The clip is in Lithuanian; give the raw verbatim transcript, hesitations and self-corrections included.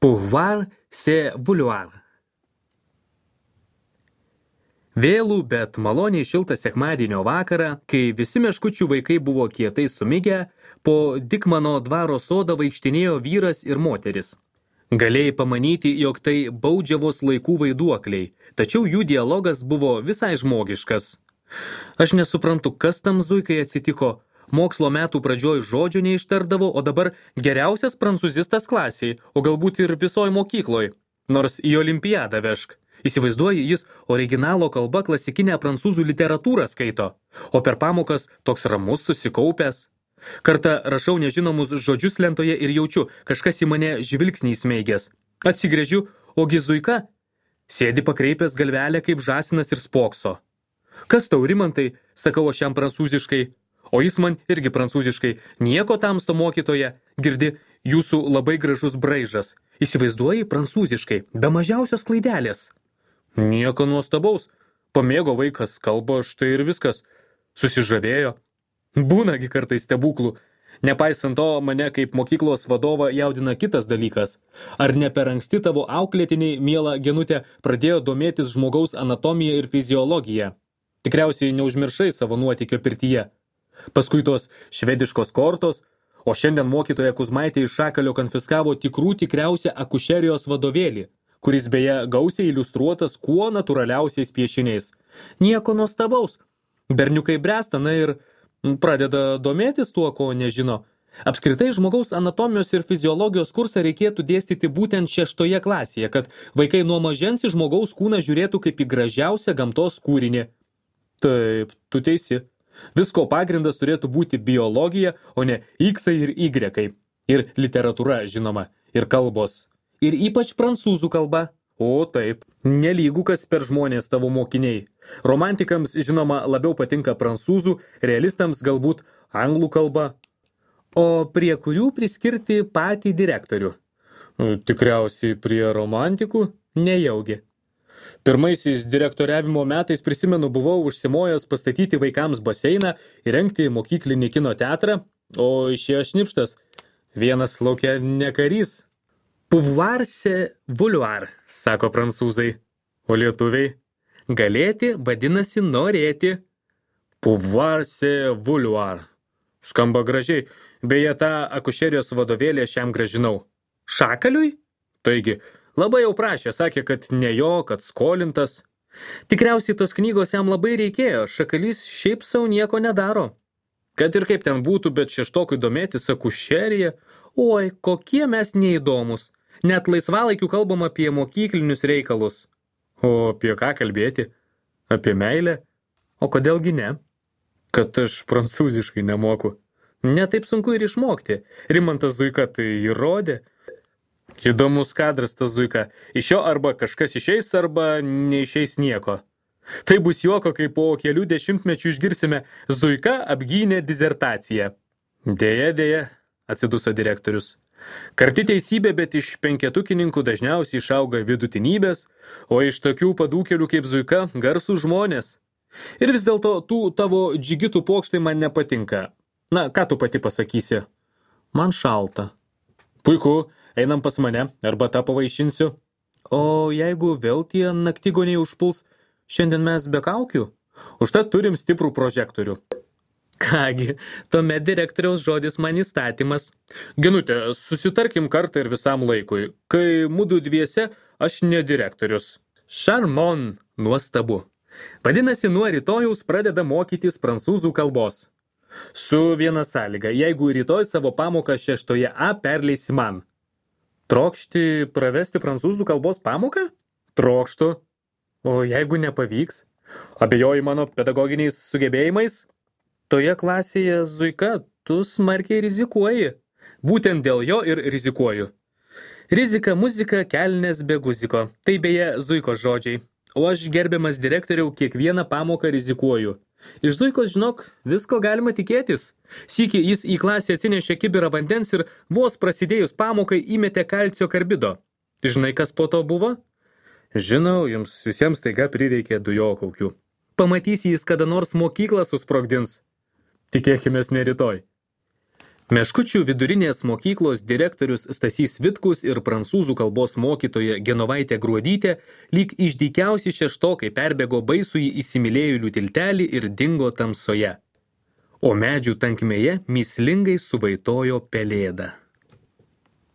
Pouvoir, c'est vouloir. Vėlų, bet maloniai šiltą sekmadienio vakarą, kai visi meškučių vaikai buvo kietai sumigę, po Dikmano dvaro sodą vaikštinėjo vyras ir moteris. Galėjai pamanyti, jog tai baudžiavos laikų vaiduokliai, tačiau jų dialogas buvo visai žmogiškas. Aš nesuprantu, kas tam zuikai atsitiko. Mokslo metų pradžioj žodžio neištardavo, o dabar geriausias prancūzistas klasiai, o galbūt ir visoj mokykloj. Nors į olimpiadą vešk. Įsivaizduoji, jis originalo kalba klasikinę prancūzų literatūrą skaito, o per pamokas toks ramus susikaupęs. Kartą rašau nežinomus žodžius lentoje ir jaučiu, kažkas į mane žvilgsnį įsmeigęs. Atsigręžiu, ogi zuika sėdi pakreipęs galvelę kaip žąsinas ir spokso. Kas tau, Rimantai, sakau aš jam prancūziškai, o jis man irgi prancūziškai. Nieko tamsto mokytoja, girdi, jūsų labai gražus braižas. Įsivaizduoji prancūziškai, be mažiausios klaidelės. Nieko nuostabaus. Pamėgo vaikas kalbą, štai ir viskas. Susižavėjo. Būnagi kartais stebuklų. Nepaisant to, mane kaip mokyklos vadovą jaudina kitas dalykas. Ar ne per anksti tavo auklėtiniai, miela Genutė, pradėjo domėtis žmogaus anatomija ir fiziologija? Tikriausiai neužmiršai savo nuotykio pirtyje. Paskui tos švediškos kortos, o šiandien mokytoja Kuzmaitė iš Šakalio konfiskavo tikrų tikriausią akušerijos vadovėlį, kuris beje gausiai iliustruotas kuo natūraliausiais piešiniais. Nieko nuostabaus. Berniukai bręsta, na ir pradeda domėtis tuo, ko nežino. Apskritai žmogaus anatomijos ir fiziologijos kursą reikėtų dėstyti būtent šeštoje klasėje, kad vaikai nuo mažens į žmogaus kūną žiūrėtų kaip į gražiausią gamtos kūrinį. Taip, tu teisi. Visko pagrindas turėtų būti biologija, o ne iksai ir ygrekai. Ir literatūra, žinoma, ir kalbos. Ir ypač prancūzų kalba. O taip, nelygų kas per žmonės tavo mokiniai. Romantikams, žinoma, labiau patinka prancūzų, realistams galbūt anglų kalba. O prie kurių priskirti patį direktorių? Tikriausiai prie romantikų nejaugi. Pirmaisiais direktoriavimo metais, prisimenu, buvau užsimojęs pastatyti vaikams baseiną, įrengti mokyklinį kino teatrą, o išėjo šnipštas. Vienas laukia ne karys. Pouvoir, c'est vouloir, sako prancūzai. O lietuviai? Galėti vadinasi norėti. Pouvoir, c'est vouloir. Skamba gražiai. Beje, tą akušerijos vadovėlį aš jam gražinau. Šakaliui? Taigi, labai jau prašė, sakė, kad ne jo, kad skolintas. Tikriausiai tos knygos jam labai reikėjo, Šakalys šiaip sau nieko nedaro. Kad ir kaip ten būtų, bet šeštokui domėtis akušerija, oi, kokie mes neįdomus. Net laisvalaikiu kalbam apie mokyklinius reikalus. O apie ką kalbėti? Apie meilę? O kodėlgi ne? Kad aš prancūziškai nemoku. Ne taip sunku ir išmokti. Rimantas Zuika tai įrodė. Įdomus kadras tas Zuika. Iš jo arba kažkas išeis, arba neišeis nieko. Tai bus juoko, kai po kelių dešimtmečių išgirsime Zuika apgynė disertaciją. Deja, deja, atsiduso direktorius. Karti teisybė, bet iš penketukininkų dažniausiai išauga vidutinybės, o iš tokių padūkelių kaip Zuika garsų žmonės. Ir vis dėlto tų tavo džigitų pokštai man nepatinka. Na, ką tu pati pasakysi? Man šalta. Puiku. Einam pas mane, arba tą pavaišinsiu. O jeigu vėl tie naktigoniai užpuls, šiandien mes be kaukių? Užtat turim stiprų prožektorių. Kągi, tuomet direktoriaus žodis man įstatymas. Genutė, susitarkim kartą ir visam laikui. Kai mudu dviese, aš ne direktorius. Charmon, nuostabu. Vadinasi, nuo rytojaus pradeda mokytis prancūzų kalbos. Su viena sąlyga, jeigu rytoj savo pamoką šeštoje A perleisi man. Trokšti pravesti prancūzų kalbos pamoką? Trokštu. O jeigu nepavyks? Abejoji mano pedagoginiais sugebėjimais? Toje klasėje, Zuika, tu smarkiai rizikuoji. Būtent dėl jo ir rizikuoju. Rizika muzika, kelnes be guziko. Tai beje Zuikos žodžiai. O aš, gerbiamas direktoriau, kiekvieną pamoką rizikuoju. Iš Zuikos, žinok, visko galima tikėtis. Sykį jis į klasę atsinešė kibirą vandens ir vos prasidėjus pamokai įmetė kalcio karbido. Žinai, kas po to buvo? Žinau, jums visiems taiga prireikė dujokaukių. Pamatysi jis kada nors mokyklą susprogdins. Tikėkimės ne rytoj. Meškučių vidurinės mokyklos direktorius Stasys Vitkus ir prancūzų kalbos mokytoja Genovaitė Gruodytė lyg išdykiausi šeštokai perbėgo baisųjį įsimylėjėlių tiltelį ir dingo tamsoje. O medžių tankmėje mįslingai suvaitojo pelėda.